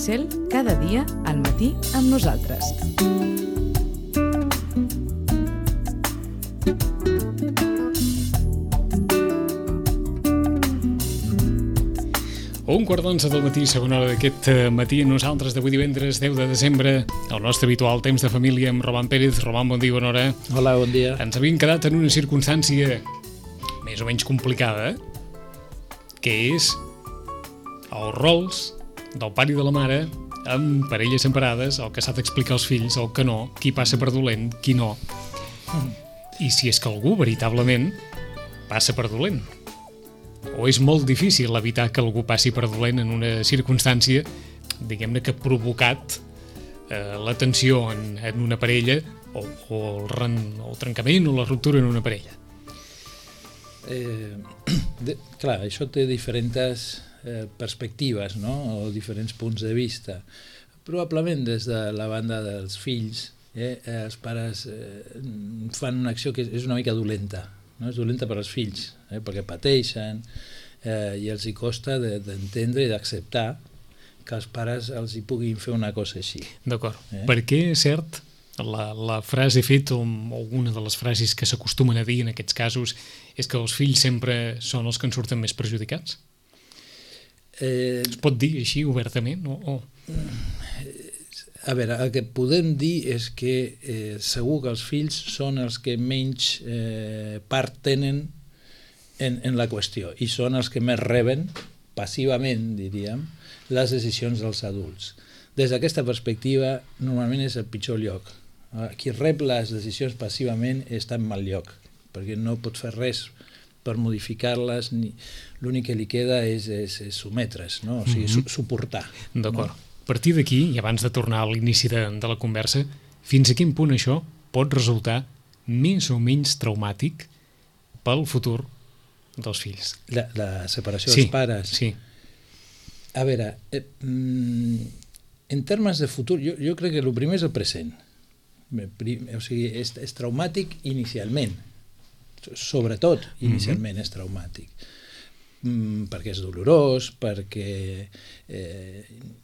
Cel, cada dia al matí amb nosaltres. Un quart d'11 del matí, segona hora d'aquest matí. Nosaltres d'avui divendres 10 de desembre, el nostre habitual temps de família amb Roman Pérez. Roman, bon dia, bona hora. Hola, bon dia. Ens havíem quedat en una circumstància més o menys complicada, que és els rols del pare i de la mare amb parelles separades, el que s'ha d'explicar als fills, el que no, qui passa per dolent, qui no. I si és que algú veritablement passa per dolent. O és molt difícil evitar que algú passi per dolent en una circumstància, diguem-ne, que ha provocat la tensió en una parella o el trencament o la ruptura en una parella. Clar, això té diferents perspectives, no? O diferents punts de vista. Probablement des de la banda dels fills, els pares fan una acció que és una mica dolenta. No? És dolenta per als fills, perquè pateixen i els hi costa d'entendre i d'acceptar que els pares els hi puguin fer una cosa així. D'acord. Per què és cert la frase feta o alguna de les frases que s'acostumen a dir en aquests casos és que els fills sempre són els que en surten més perjudicats? Es pot dir així obertament? A veure, el que podem dir és que segur que els fills són els que menys part tenen en la qüestió i són els que més reben, passivament, diríem, les decisions dels adults. Des d'aquesta perspectiva, normalment és el pitjor lloc. Qui rep les decisions passivament està en mal lloc, perquè no pot fer res per modificar-les, l'únic que li queda és sometre's, no? O sigui, suportar. D'acord. A partir d'aquí, i abans de tornar a l'inici de la conversa, fins a quin punt això pot resultar més o menys traumàtic pel futur dels fills? La separació dels pares? Sí. A veure, en termes de futur, jo crec que el primer és el present. O sigui, és traumàtic inicialment. Sobretot inicialment és traumàtic. Perquè és dolorós, perquè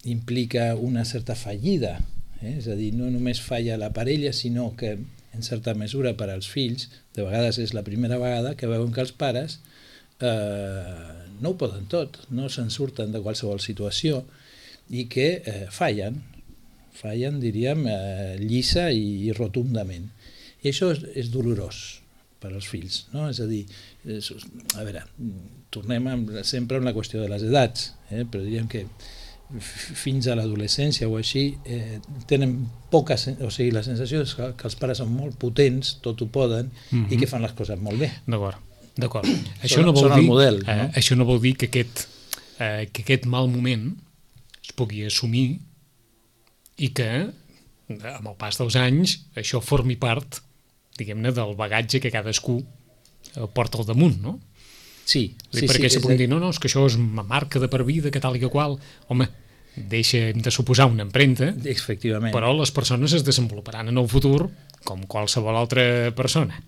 implica una certa fallida, és a dir, no només falla la parella, sinó que en certa mesura per als fills, de vegades és la primera vegada que veuen que els pares no ho poden tot, no se'n surten de qualsevol situació i que fallen, diríem, llisa i rotundament. I això és dolorós per als fills, no? És a dir, a veure, tornem sempre a la qüestió de les edats, però diríem que fins a l'adolescència o així tenen poca, o sigui, la sensació és que els pares són molt potents, tot ho poden, i que fan les coses molt bé. D'acord. Són el model, no? Això no vol dir que aquest mal moment es pugui assumir i que, amb el pas dels anys, això formi part, diguem-ne, del bagatge que cadascú porta al damunt, no? Sí. Perquè se pugui dir, no, és que això és una marca de per vida, que tal i que qual. Home, deixem de suposar una empremta, efectivament, però les persones es desenvoluparan en el futur com qualsevol altra persona.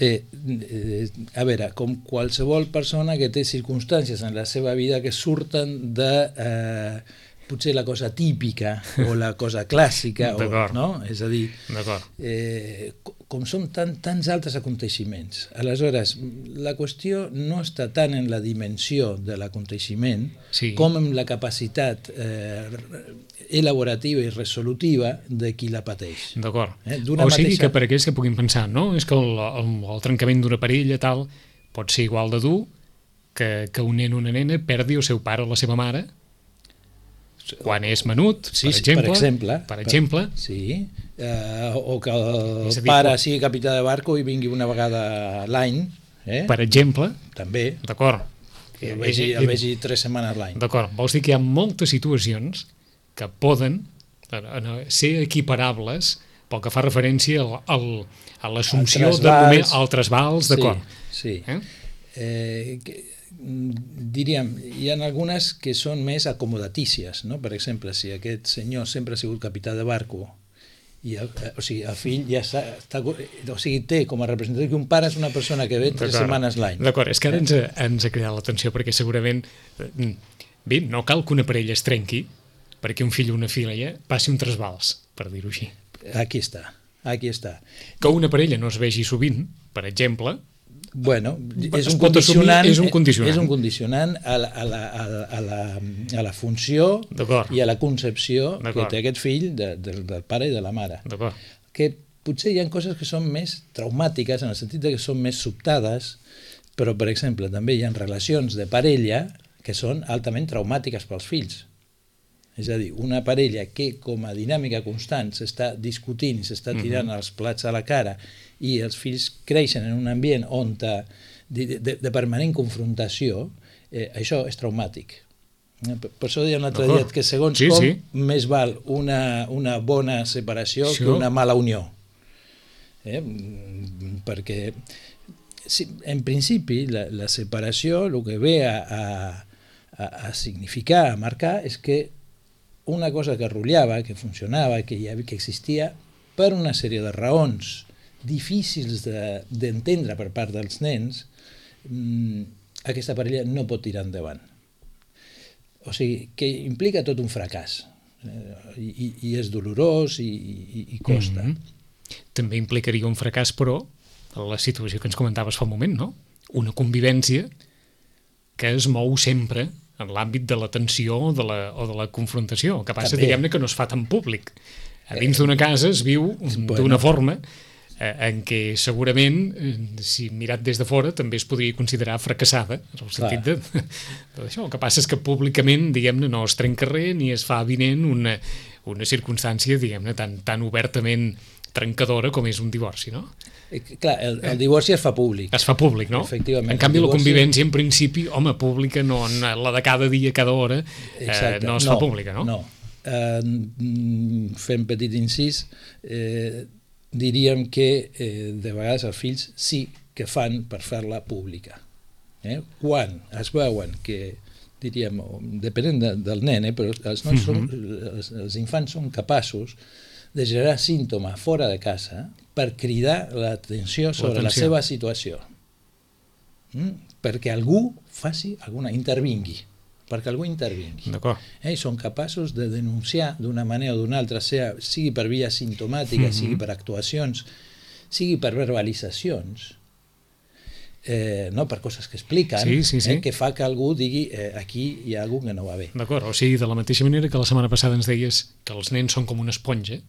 A veure, com qualsevol persona que té circumstàncies en la seva vida que surten de potser la cosa típica o la cosa clàssica, no? És a dir, com són tants altres aconteixements. Aleshores, la qüestió no està tant en la dimensió de l'aconteixement com en la capacitat elaborativa i resolutiva de qui la pateix. D'acord. O sigui que per aquells que puguin pensar, no? És que el trencament d'una parella tal pot ser igual de dur que un nen o una nena perdi el seu pare o la seva mare quan és menut, per exemple. Sí, o que el pare sigui capità de barco i vingui una vegada a l'any. Per exemple. També. D'acord. El vegi 3 setmanes l'any. D'acord. Vols dir que hi ha moltes situacions que poden ser equiparables pel que fa referència a l'assumpció al trasbals, d'acord. Sí. Diríem, hi ha algunes que són més acomodatícies, no? Per exemple, si aquest senyor sempre ha sigut capità de barco i o sigui, el fill ja està, o sigui, té com a representatiu que un pare és una persona que ve 3 setmanes l'any. D'acord, és que ara ens ha cridat l'atenció perquè segurament, bé, no cal que una parella es trenqui perquè un fill o una filla passi un trasbals, per dir-ho així. Aquí està. Que una parella no es vegi sovint, per exemple, bueno, és es un pot assumir, condicionant, és un condicionant a la funció D'acord. i a la concepció que D'acord. té aquest fill del pare i de la mare. D'acord. Que potser hi ha coses que són més traumàtiques, en el sentit que són més sobtades, però, per exemple, també hi ha relacions de parella que són altament traumàtiques pels fills. És a dir, una parella que com a dinàmica constant s'està discutint i s'està tirant els plats a la cara i els fills creixen en un ambient on de permanent confrontació, això és traumàtic. Per això deia un altre dia que segons més val una bona separació que una mala unió. Perquè en principi la separació el que ve a significar, a marcar, és que una cosa que rotllava, que funcionava, que existia per una sèrie de raons difícils d'entendre per part dels nens, aquesta parella no pot tirar endavant. O sigui, que implica tot un fracàs i és dolorós i costa. També implicaria un fracàs, però, la situació que ens comentaves fa un moment, no? Una convivència que es mou sempre en l'àmbit de la tensió o de la confrontació. El que passa, diguem-ne, que no es fa tan públic. A dins d'una casa es viu d'una forma en què segurament, si mirat des de fora, també es podria considerar fracassada, en el sentit d'això. El que passa és que públicament, diguem-ne, no es trenca res ni es fa avinent una circumstància, diguem-ne, tan obertament trencadora com és un divorci, no? Clar, el divorci es fa públic. Es fa públic, no? Efectivament. En canvi, la convivència, en principi, home, pública, no, la de cada dia, cada hora, no es fa pública, no? No. Fent petit incís, diríem que de vegades els fills sí que fan per fer-la pública. Quan es veuen que, diríem, depenent del nen, però els infants són capaços de generar símptoma fora de casa per cridar l'atenció sobre la seva situació. Perquè algú intervingui. Perquè algú intervingui. Són capaços de denunciar d'una manera o d'una altra, sigui per via simptomàtica, sigui per actuacions, sigui per verbalitzacions, per coses que expliquen, que fa que algú digui aquí hi ha algú que no va bé. D'acord, o sigui, de la mateixa manera que la setmana passada ens deies que els nens són com una esponja,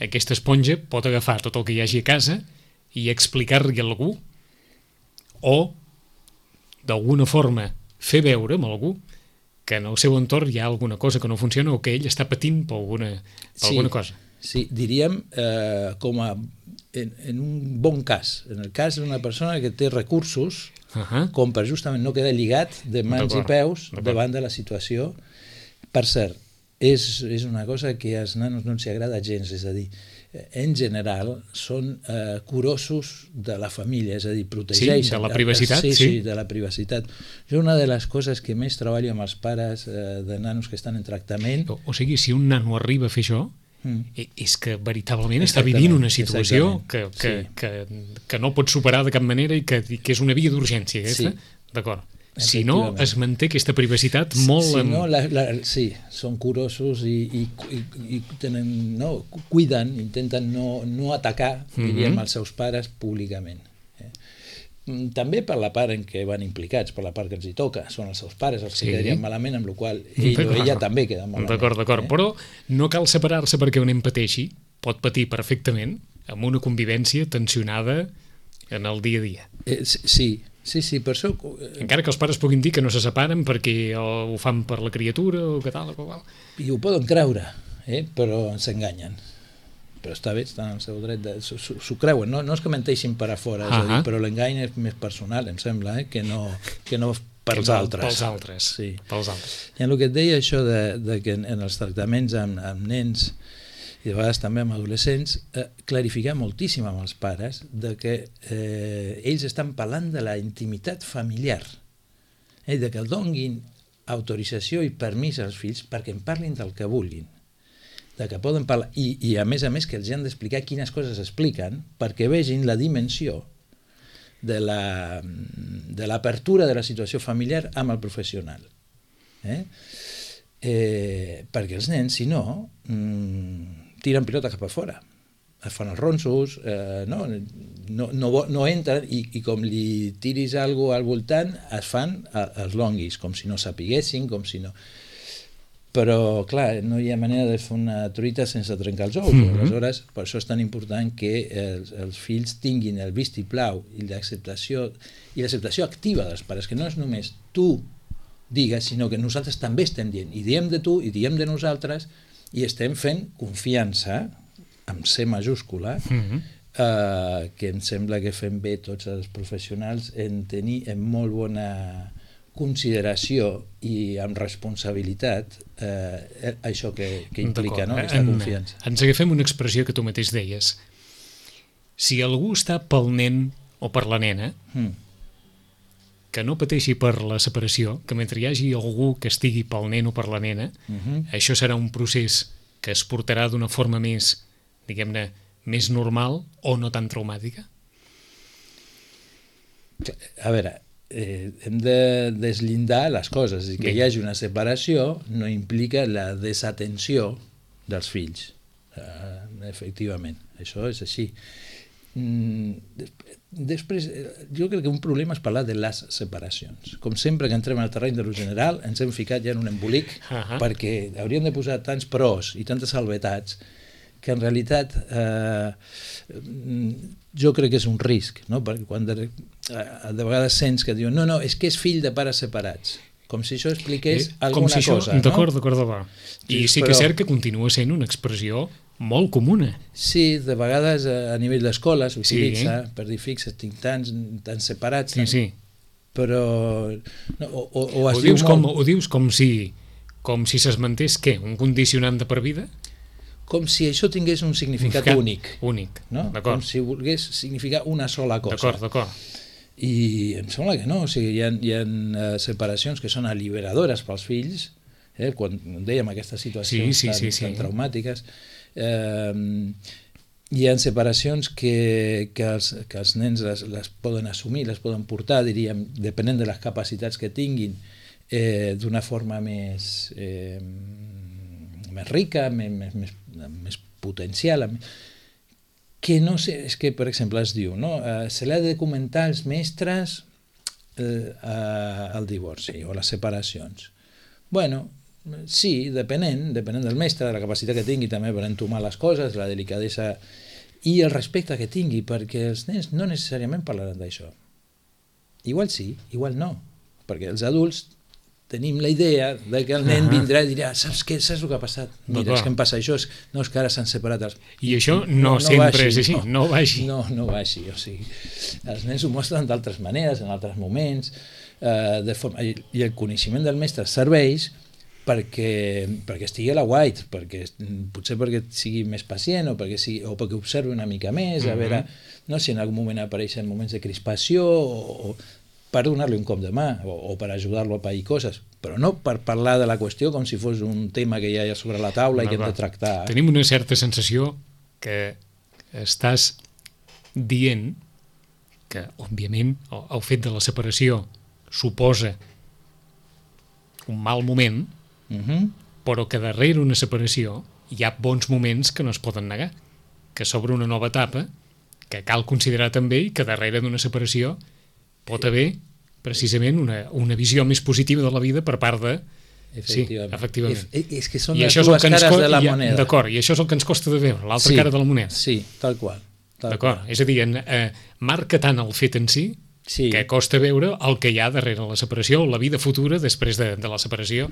aquesta esponja pot agafar tot el que hi hagi a casa i explicar-li a algú o d'alguna forma fer veure amb algú que en el seu entorn hi ha alguna cosa que no funciona o que ell està patint per alguna cosa. Sí, diríem com a en un bon cas, en el cas d'una persona que té recursos com per justament no quedar lligat de mans i peus davant de la situació. Per cert, és una cosa que als nanos no els agrada gens, és a dir, en general són curosos de la família, és a dir, protegeixen de la privacitat. Sí, de la privacitat. Jo una de les coses que més treballo amb els pares de nanos que estan en tractament... O sigui, si un nano arriba a fer això, és que veritablement està vivint una situació que no pot superar de cap manera i que és una via d'urgència aquesta, d'acord. Si no, es manté aquesta privacitat molt... Sí, són curosos i cuiden, intenten no atacar, diríem, els seus pares públicament. També per la part en què van implicats, per la part que els hi toca, són els seus pares els que quedarien malament, amb la qual ell o ella també queda malament. D'acord, però no cal separar-se perquè un nen pateixi, pot patir perfectament amb una convivència tensionada en el dia a dia. Sí, per això... Encara que els pares puguin dir que no se separen perquè ho fan per la criatura o que tal o qual. I ho poden creure, però s'enganyen. Però està bé, estan en el seu dret s'ho creuen, no és que menteixin per a fora, és a dir, però l'engany és més personal, em sembla, que no pels altres. Pels altres. I en el que et deia això de que en els tractaments amb nens i de vegades també amb adolescents, clarificar moltíssim amb els pares de que ells estan parlant de la intimitat familiar, de que donin autorització i permís als fills perquè en parlin del que vulguin, de que poden parlar, i a més que els han d'explicar quines coses expliquen perquè vegin la dimensió de l'apertura de la situació familiar amb el professional. perquè els nens, si no, tiren pilota cap a fora, es fan els ronsos, no entren, i com li tiris alguna cosa al voltant, es fan els longuis, com si no sapiguessin, com si no... Però, clar, no hi ha manera de fer una truita sense trencar els ous. Aleshores, per això és tan important que els fills tinguin el vistiplau i l'acceptació activa dels pares, que no és només tu digues, sinó que nosaltres també estem dient, i diem de tu, i diem de nosaltres, i estem fent confiança, amb C majúscula, que em sembla que fem bé tots els professionals en tenir en molt bona consideració i amb responsabilitat això que implica, no? Aquesta confiança. Ens agafem una expressió que tu mateix deies. Si algú està pel nen o per la nena, que no pateixi per la separació, que mentre hi hagi algú que estigui pel nen o per la nena, això serà un procés que es portarà d'una forma més, diguem-ne, més normal o no tan traumàtica? A veure, hem de deslindar les coses, i que hi hagi una separació no implica la desatenció dels fills, efectivament, això és així. Després, jo crec que un problema és parlar de les separacions. Com sempre que entrem al terreny de lo general ens hem ficat ja en un embolic, perquè hauríem de posar tants pros i tantes salvetats que en realitat jo crec que és un risc, no? Perquè quan de vegades sents que diuen no, és que és fill de pares separats, com si això expliqués alguna cosa. D'acord. I sí que és cert que continua sent una expressió molt comuna. Sí, de vegades a nivell d'escola s'utilitza per dir fixa't, tinc tants separats, però... Ho dius com si s'esmentés què? Un condicionant de per vida? Com si això tingués un significat únic. No? Com si volgués significar una sola cosa. D'acord. I em sembla que no, o sigui, hi ha separacions que són alliberadores pels fills, quan dèiem aquestes situacions tan traumàtiques, hi ha separacions que els nens les poden assumir, les poden portar, diríem, depenent de les capacitats que tinguin, d'una forma més rica, més potencial, que no sé, és que per exemple es diu, no? Se l'ha de documentar als mestres el divorci o les separacions. Bueno, sí, depenent del mestre, de la capacitat que tingui també per entomar les coses, la delicadesa i el respecte que tingui, perquè els nens no necessàriament parlaran d'això. Igual sí, igual no, perquè els adults tenim la idea de que el nen vindrà i dirà saps el que ha passat? Mira, és que em passa això, no és que ara s'han separat els... I això no sempre és així, no va així. No va així, o sigui, els nens ho mostren d'altres maneres, en altres moments, i el coneixement del mestre serveix perquè estigui a la white, potser perquè sigui més pacient o perquè observi una mica més, a veure si en algun moment apareixen moments de crispació o per donar-li un cop de mà o per ajudar-lo a pair coses, però no per parlar de la qüestió com si fos un tema que ja hi ha sobre la taula i que hem de tractar. Tenim una certa sensació que estàs dient que, òbviament, el fet de la separació suposa un mal moment, però que darrere una separació hi ha bons moments que no es poden negar, que s'obre una nova etapa que cal considerar també i que darrere d'una separació pot haver precisament una visió més positiva de la vida per part de... Efectivament. És que són les dues cares de la moneda. D'acord, i això és el que ens costa de veure, l'altra cara de la moneda. Sí, tal qual. D'acord, és a dir, marca tant el fet en si que costa veure el que hi ha darrere la separació, la vida futura després de la separació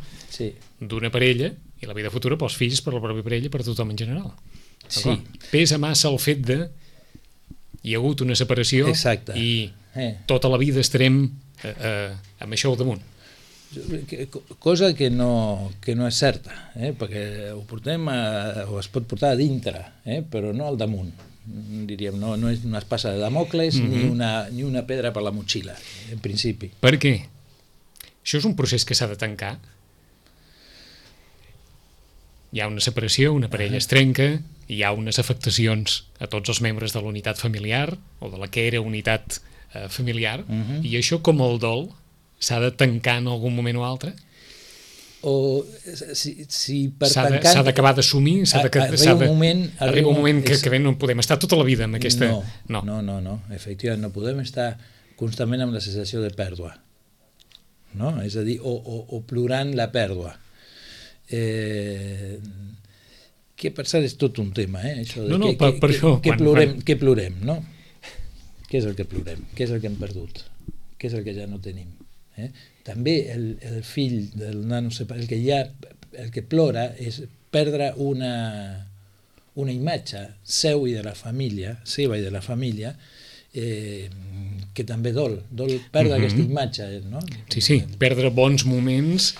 d'una parella i la vida futura pels fills, per la pròpia parella, per tothom en general. Pesa massa el fet de hi ha hagut una separació i tota la vida estarem amb això al damunt. Cosa que no és certa, perquè ho portem o es pot portar a dintre, però no al damunt. Diríem, no és una espasa de Damocles ni una pedra per la motxilla, en principi. Per què? Això és un procés que s'ha de tancar. Hi ha una separació, una parella es trenca, hi ha unes afectacions a tots els membres de la unitat familiar o de la que era unitat familiar, i això, com el dol, s'ha de tancar en algun moment o altre? o si per s'ha tancant... d'acabar d'assumir, arriba un moment que no podem estar tota la vida amb aquesta... No, efectivament, no podem estar constantment amb la sensació de pèrdua, no? És a dir, o plorant la pèrdua. Que per cert és tot un tema, això de què plorem, no? Què és el que plorem? Què és el que hem perdut? Què és el que ja no tenim? També el fill del nano, el que plora és perdre una imatge seva i de la família, que també dol perdre aquesta imatge, no? Sí, perdre bons moments.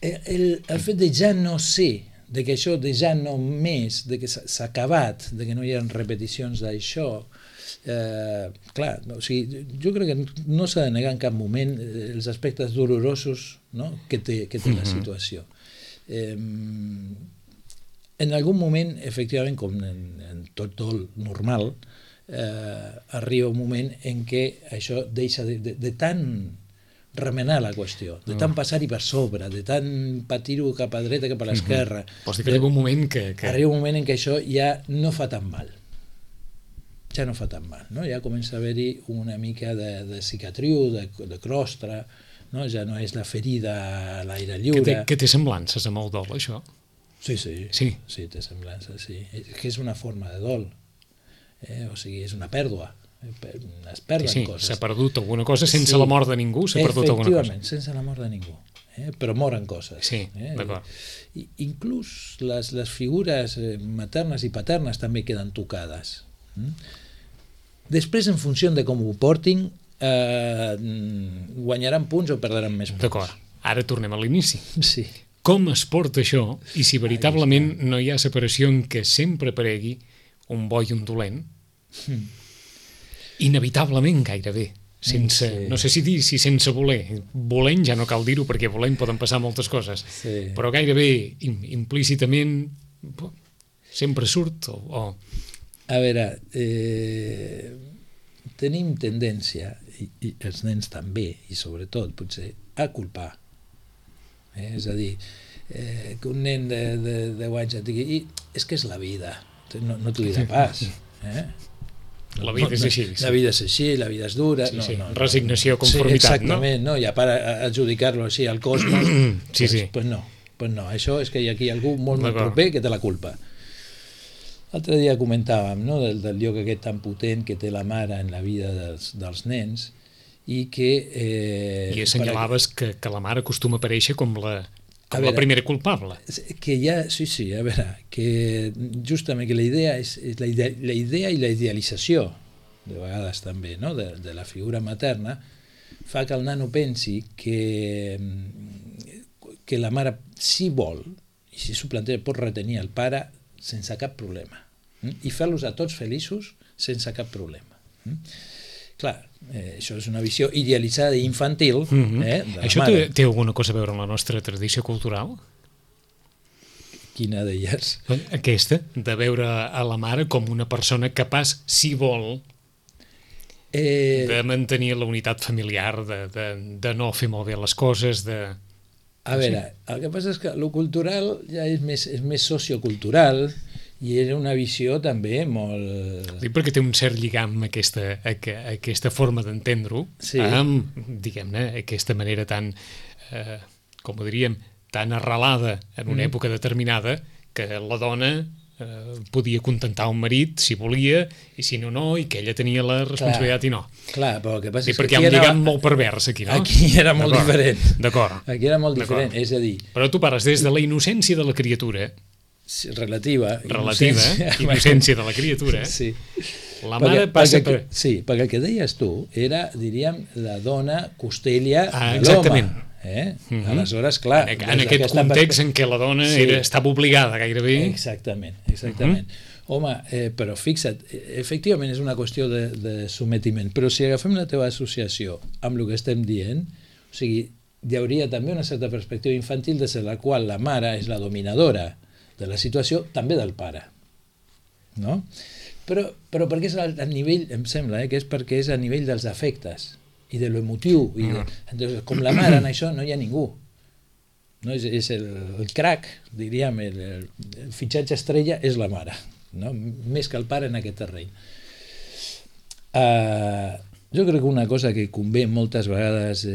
El fet de ja no ser, de que això de ja no més, de que s'ha acabat, de que no hi ha repeticions d'això, clar, o sigui, jo crec que no s'ha de negar en cap moment els aspectes dolorosos, no? que té la situació. En algun moment, efectivament, com en tot dol normal, arriba un moment en què això deixa de tant remenar la qüestió, de tant passar-hi per sobre, de tant patir-ho cap a dreta, cap a l'esquerra. Vols dir que arriba un moment que... Arriba un moment en què això ja no fa tan mal. Ja no fa tan mal, no? Ja comença a haver-hi una mica de cicatriu, de crostre, no? Ja no és la ferida a l'aire lliure. Que té semblances amb el dol, això? Sí, té semblances, sí. Que és una forma de dol, o sigui, és una pèrdua. Es perden coses. S'ha perdut alguna cosa sense la mort de ningú, s'ha perdut alguna cosa. Efectivament, sense la mort de ningú, però moren coses. Sí, d'acord. Inclús les figures maternes i paternes també queden tocades. Després, en funció de com ho portin, guanyaran punts o perdran més punts. D'acord. Ara tornem a l'inici. Sí. Com es porta això i si veritablement no hi ha separació en què sempre aparegui un bo i un dolent, inevitablement gairebé, sense, no sé si dir si sense voler, volent ja no cal dir-ho perquè volent poden passar moltes coses, però gairebé implícitament sempre surt o... A veure, tenim tendència, i els nens també, i sobretot potser, a culpar. És a dir, que un nen de 10 anys et digui és que és la vida, no t'ho dirà pas. La vida és així. La vida és així, la vida és dura. Resignació, conformitat, no? Exactament, no? I a part adjudicar-lo així al cosmos, pues no. Això és que hi ha aquí algú molt proper que té la culpa. L'altre dia comentàvem, no?, del lloc aquest tan potent que té la mare en la vida dels nens i que... I assenyalaves que la mare acostuma a aparèixer com la primera culpable. Que ja, sí, a veure, que justament que la idea és la idea i la idealització, de vegades també, no?, de la figura materna, fa que el nano pensi que la mare, si vol, i si s'ho planteja, pot retenir el pare sense cap problema i fer-los a tots feliços sense cap problema. Clar, això és una visió idealitzada i infantil de la mare. Això té alguna cosa a veure amb la nostra tradició cultural? Quina d'elles? Aquesta, de veure a la mare com una persona capaç, si vol, de mantenir la unitat familiar, de no fer molt bé les coses, de... A veure, el que passa és que el cultural ja és més sociocultural i era una visió també molt... Dic perquè té un cert lligam aquesta forma d'entendre-ho, amb, diguem-ne, aquesta manera tan, com ho diríem, tan arrelada en una època determinada que la dona podia contentar un marit si volia i si no, no, i que ella tenia la responsabilitat i no. Clar, però el que passa és que perquè hi ha un lligam molt pervers aquí, no? Aquí era molt diferent. D'acord. Aquí era molt diferent, és a dir... Però tu parles des de la innocència de la criatura. Relativa. Innocència de la criatura. Sí. La mare passa per... Sí, perquè el que deies tu era, diríem, la dona costella de l'home. Exactament. Aleshores, clar... En aquest context en què la dona estava obligada gairebé... Exactament. Home, però fixa't, efectivament és una qüestió de sometiment, però si agafem la teva associació amb el que estem dient, o sigui, hi hauria també una certa perspectiva infantil des de la qual la mare és la dominadora de la situació, també del pare. No? Però perquè és al nivell, em sembla, que és perquè és a nivell dels afectes i de l'emotiu. Entonces, com la mare en això no hi ha ningú. no? És el crack, diríem, el fitxatge estrella és la mare, no? Més que el pare en aquest terreny. Jo crec que una cosa que convé moltes vegades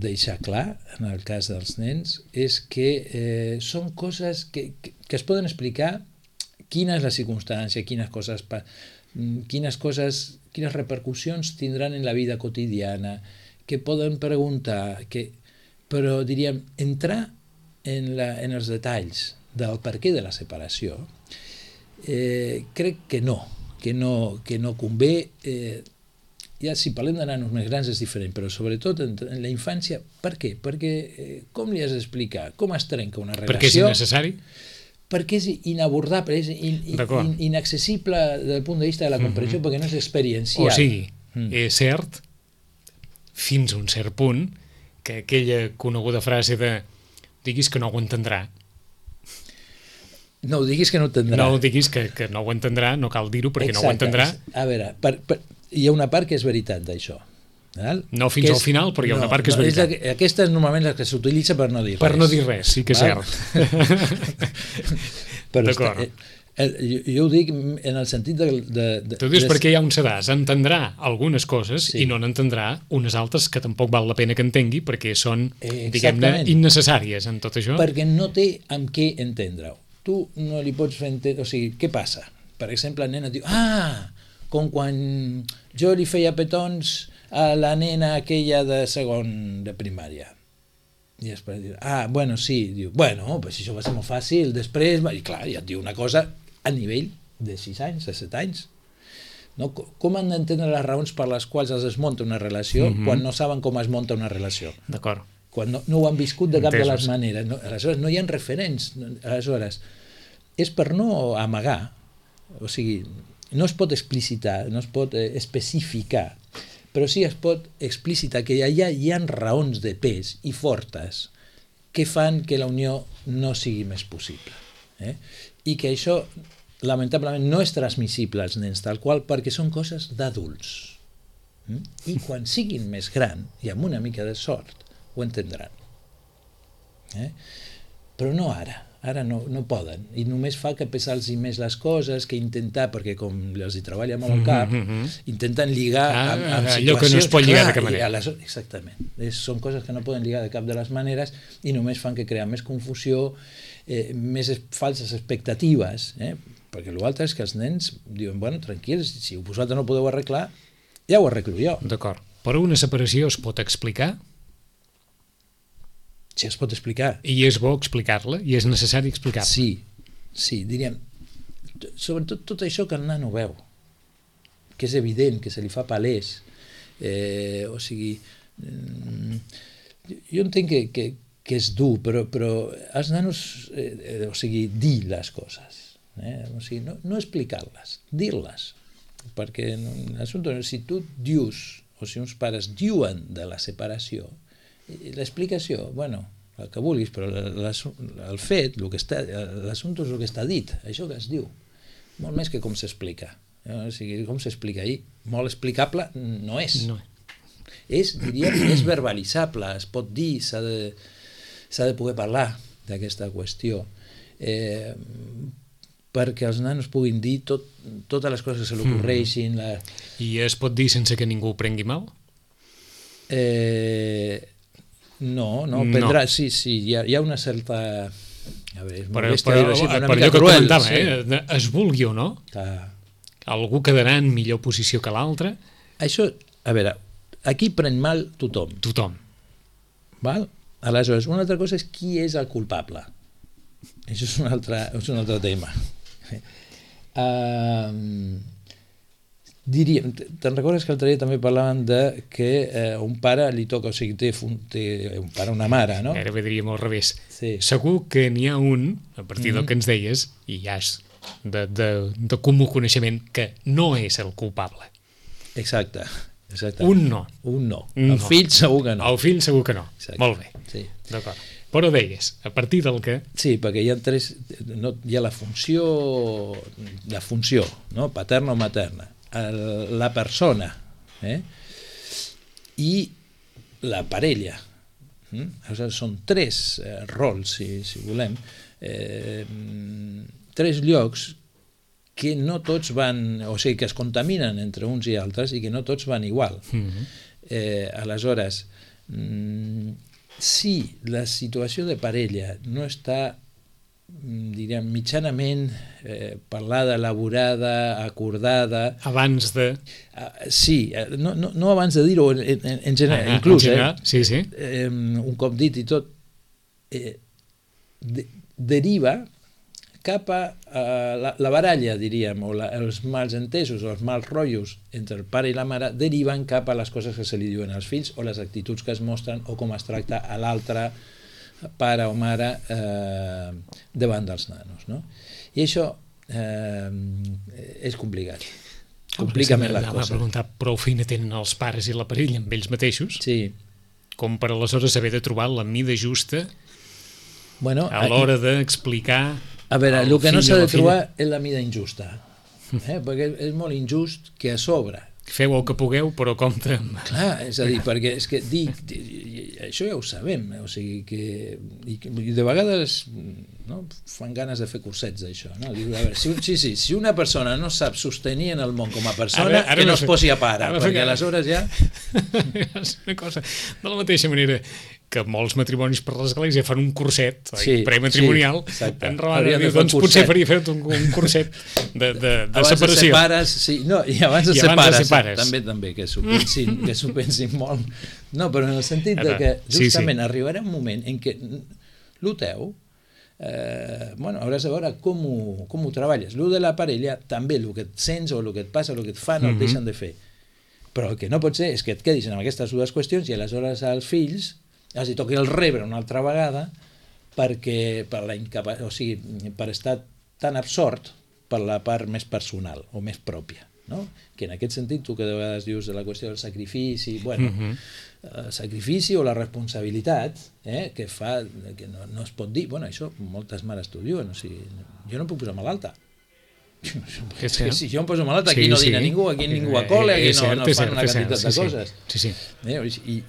deixar clar en el cas dels nens és que són coses que es poden explicar quina és la circumstància, quines repercussions tindran en la vida quotidiana, que poden preguntar, però diríem, entrar en els detalls del perquè de la separació, crec que no convé. Ja si parlem de nanos més grans és diferent, però sobretot en la infància, per què? Perquè com li has d'explicar? Com es trenca una relació? Perquè és innecessari? Perquè és inabordable, és inaccessible des del punt de vista de la comprensió, perquè no és experiencial. O sigui, és cert, fins a un cert punt, que aquella coneguda frase de diguis que no ho entendrà. No ho diguis que no ho entendrà. No ho diguis que no ho entendrà, no cal dir-ho perquè no ho entendrà. A veure, hi ha una part que és veritat d'això. No fins al final, però hi ha una part que és veritat. Aquesta és normalment la que s'utilitza per no dir res. Per no dir res, sí que és cert. D'acord. Jo ho dic en el sentit de... Tu dius perquè hi ha un sedàs, entendrà algunes coses i no n'entendrà unes altres que tampoc val la pena que entengui perquè són, diguem-ne, innecessàries en tot això. Perquè no té amb què entendre-ho. Tu no li pots fer entendre... O sigui, què passa? Per exemple, el nen et diu com quan jo li feia petons a la nena aquella de segon de primària. I després diu, bueno, sí. Diu, bueno, pues això va ser molt fàcil. Després, i clar, ja et diu una cosa a nivell de 6 anys, de 7 anys. No? Com han d'entendre les raons per les quals es desmunta una relació quan no saben com es munta una relació? D'acord. Quan no ho han viscut de cap de les maneres. Aleshores, no hi ha referents. Aleshores, és per no amagar, o sigui, no es pot explicitar, no es pot especificar, però sí es pot explicitar que allà hi ha raons de pes i fortes que fan que la unió no sigui més possible. I que això, lamentablement, no és transmissible als nens tal qual perquè són coses d'adults. I quan siguin més grans, i amb una mica de sort, ho entendran. Però no ara. Ara no poden, i només fa que pesar-los més les coses, que intentar, perquè com els hi treballa molt al cap, intenten lligar amb situacions... Allò que no es pot lligar de cap manera. Exactament. Són coses que no poden lligar de cap de les maneres i només fan que crear més confusió, més falses expectatives, perquè l'altre és que els nens diuen, bueno, tranquils, si vosaltres no podeu arreglar, ja ho arreglo jo. D'acord. Però una separació es pot explicar? Si es pot explicar. I és bo explicar-la? I és necessari explicar-la? Sí, diríem, sobretot tot això que el nano veu, que és evident, que se li fa palès, o sigui, jo entenc que és dur, però els nanos, o sigui, dir les coses, o sigui, no explicar-les, dir-les, perquè si tu dius, o si uns pares diuen de la separació, l'explicació, bueno, el que vulguis, però el fet, l'assumpte és el que està dit, això que es diu, molt més que com s'explica. O sigui, com s'explica ahir, molt explicable no és. Diríem, és verbalitzable, es pot dir, s'ha de poder parlar d'aquesta qüestió, perquè els nanos puguin dir totes les coses que se li ocorreixin. I es pot dir sense que ningú ho prengui mal? No, prendrà, sí, hi ha una certa... A veure, per allò que comentava, es vulgui o no, algú quedarà en millor posició que l'altre. Això, a veure, aquí pren mal tothom. Val? Aleshores, una altra cosa és qui és el culpable. Això és un altre tema. Diríem, te'n recordes que l'altre dia també parlaven de que un pare li toca, o sigui, té un pare, una mare, no? Ara diríem al revés. Sí. Segur que n'hi ha un, a partir del que ens deies, i ja és de comú coneixement, que no és el culpable. Exacte. Un no. El fill segur que no. El fill segur que no. Exacte. Molt bé. Sí. D'acord. Però deies, a partir del que... Sí, perquè hi ha tres... Hi ha la funció, no? Paterna o materna. La persona i la parella, Aleshores, són 3 rols, si volem, 3 llocs que no tots van, o sigui, que es contaminen entre uns i altres i que no tots van igual. Aleshores, si la situació de parella no està, diríem, mitjanament parlada, elaborada, acordada... Abans de... Sí, no abans de dir-ho, en general, inclús, sí. Un cop dit i tot, deriva cap a la baralla, diríem, o els mals entesos o els mals rotllos entre el pare i la mare deriven cap a les coses que se li diuen als fills o les actituds que es mostren o com es tracta a l'altre pare o mare davant dels nanos, no? I això és complicat. Complica més la cosa. Anava a preguntar, prou feina tenen els pares i la parella amb ells mateixos, sí, com per aleshores haver de trobar la mida justa a l'hora d'explicar... A veure, el que no s'ha de trobar és la mida injusta, perquè és molt injust que a sobre... Feu el que pugueu, però compte amb... Clar, és a dir, perquè és que això ja ho sabem, o sigui que... I de vegades fan ganes de fer cursets d'això, no? Diu, a veure, si una persona no sap sostenir en el món com a persona, que no es posi a pare, perquè aleshores ja... És una cosa, de la mateixa manera que molts matrimonis per l'església fan un curset prematrimonial, doncs potser faria fer un curset de separació. I abans de ser pares, també, que s'ho pensin molt. No, però en el sentit que justament arribarà un moment en què el teu hauràs de veure com ho treballes. El de la parella, també el que et sents o el que et passa, el que et fan, el deixen de fer. Però el que no pot ser és que et quedis en aquestes dues qüestions i aleshores als fills els toqui el rebre una altra vegada perquè per estar tan absort per la part més personal o més pròpia, no? Que en aquest sentit tu que de vegades dius de la qüestió del sacrifici, el sacrifici o la responsabilitat que fa, que no es pot dir, això moltes mares t'ho diuen, o sigui, jo no puc posar malalta. Si jo em poso malalta, aquí no dina ningú, aquí ningú acola, aquí no fan una quantitat de coses.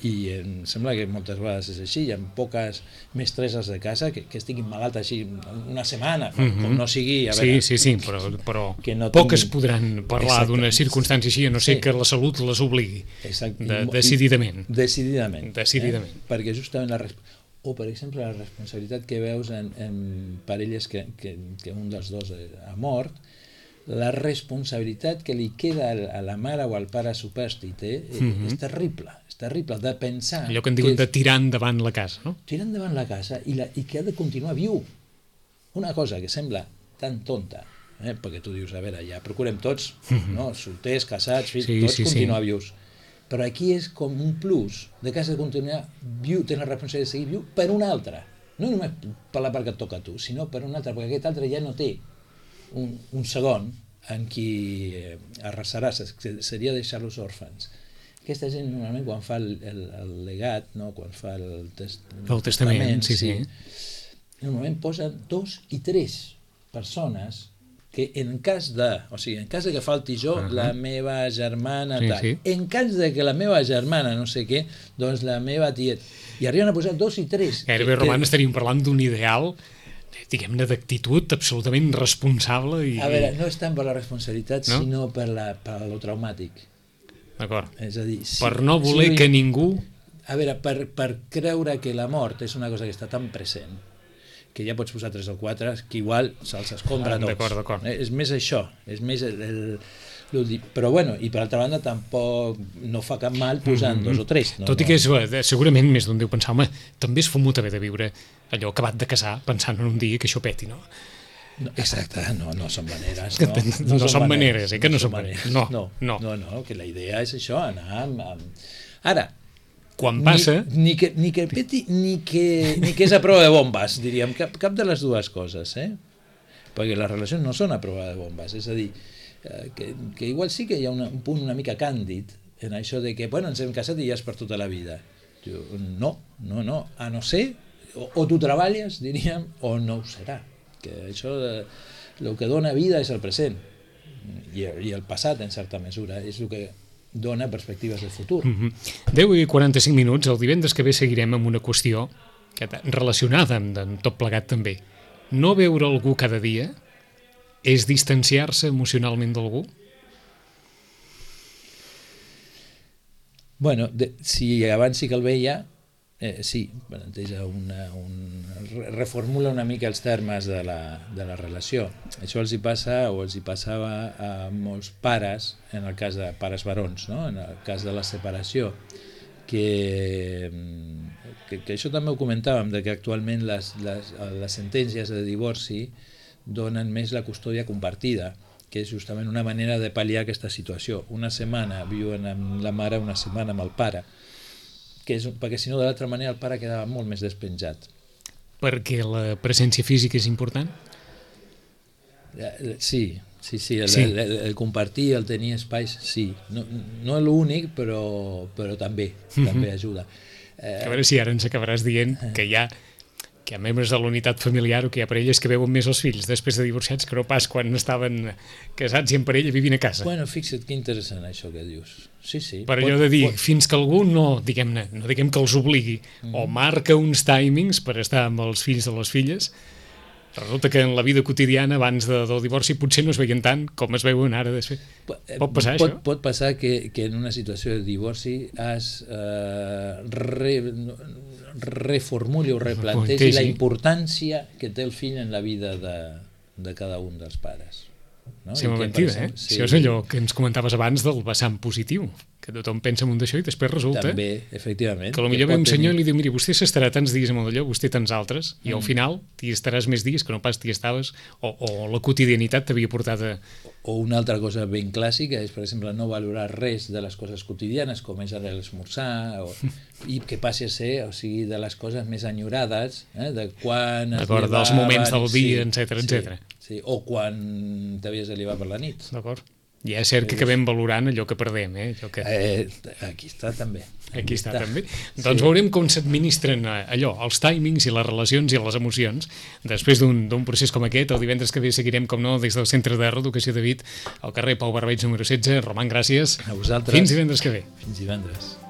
I em sembla que moltes vegades és així, hi ha poques mestresses de casa que estiguin malalta així una setmana, com no sigui... Sí, però poques podran parlar d'una circumstància així, a no ser que la salut les obligui, decididament. Decididament. Perquè justament o per exemple la responsabilitat que veus en parelles que un dels dos ha mort, la responsabilitat que li queda a la mare o al pare supòstit és terrible de pensar... Allò que en diuen de tirar endavant la casa, no? Tirar endavant la casa i que ha de continuar viu. Una cosa que sembla tan tonta, perquè tu dius, a veure, ja procurem tots, solters, casats, fills, tots continuar vius. Però aquí és com un plus de que has de continuar viu, tens la responsabilitat de seguir viu per un altre. No només per la part que et toca a tu, sinó per un altre, perquè aquest altre ja no té un segon en qui arrasarà, seria deixar-los òrfans. Aquesta gent normalment quan fa el legat, quan fa el testament, normalment posen 2 i 3 persones que en cas de que falti jo, la meva germana, en cas de que la meva germana no sé què, doncs la meva tiet, i arriben a posar 2 i 3. Gairebé, Roman, estaríem parlant d'un ideal, diguem-ne, d'actitud absolutament responsable. A veure, no és tant per la responsabilitat, sinó per lo traumàtic. D'acord. És a dir, per no voler que ningú... A veure, per creure que la mort és una cosa que està tan present que ja pots posar 3 o 4, que igual se'ls escombra tots. D'acord. És més això, és més però bueno, i per altra banda tampoc no fa cap mal posant 2 o 3. Tot i que segurament més d'un deu pensar, home, també es fomut haver de viure allò acabat de casar pensant en un dia que això peti, no? Exacte, no són maneres. No són maneres, que no són maneres. No, que la idea és això, anar amb... Ara, quan passa... Ni que peti, ni que és a prova de bombes, diríem, cap de les dues coses, perquè les relacions no són a prova de bombes, és a dir, que igual sí que hi ha un punt una mica càndid en això de que, ens hem casat i ja és per tota la vida. No, a no ser, o tu treballes, diríem, o no ho serà. Que això, el que dona vida és el present, i el passat, en certa mesura, és el que dona perspectives de futur. 10 i 45 minuts, el divendres que ve seguirem amb una qüestió relacionada amb tot plegat també. No veure algú cada dia és distanciar-se emocionalment d'algú? Bueno, si abans sí que el veia, sí, reformula una mica els termes de la relació. Això els hi passa o els hi passava a molts pares, en el cas de pares barons, no? En el cas de la separació, que això també ho comentàvem, de que actualment les sentències de divorci donen més la custòdia compartida, que és justament una manera de pal·liar aquesta situació. Una setmana viuen amb la mare, una setmana amb el pare, perquè si no de l'altra manera el pare quedava molt més despenjat. Perquè la presència física és important? Sí, el compartir, el tenir espais, sí. No és l'únic, però també ajuda. A veure si ara ens acabaràs dient que hi ha membres de la unitat familiar o que hi ha parelles que veuen més els fills després de divorciats que no pas quan estaven casats i en parella vivint a casa. Bueno, fixa't que interessant això que dius. Sí. Per allò de dir, fins que algú no diguem que els obligui o marca uns timings per estar amb els fills o les filles, resulta que en la vida quotidiana abans del divorci potser no es veien tant com es veuen ara després. Pot passar això? Pot passar que en una situació de divorci reformuli o replantegi la importància que té el fill en la vida de cada un dels pares. No? Sembla mentida, eh? Sí. Això és allò que ens comentaves abans del vessant positiu, que tothom pensa en un d'això i després resulta també, efectivament, que potser ve un senyor i li diu, mira, vostè s'estarà tants dies amb allò, vostè tants altres, i al final t'hi estaràs més dies que no pas t'hi estaves, o la quotidianitat t'havia portat a... O una altra cosa ben clàssica és, per exemple, no valorar res de les coses quotidianes, com és l'esmorzar, i que passi a ser, o sigui, de les coses més enyorades, de quan es llevaven... dels moments del dia, etcètera. Sí, o quan t'havies de llevar per la nit. D'acord. I és cert que acabem valorant allò que perdem, Aquí està també. Aquí està també. Doncs veurem com s'administren allò, els timings i les relacions i les emocions. Després d'un procés com aquest, el divendres que ve seguirem, com no, des del Centre de Reeducació de Vic, al carrer Pau Barbeig número 16. Roman, gràcies. A vosaltres. Fins divendres que ve. Fins divendres.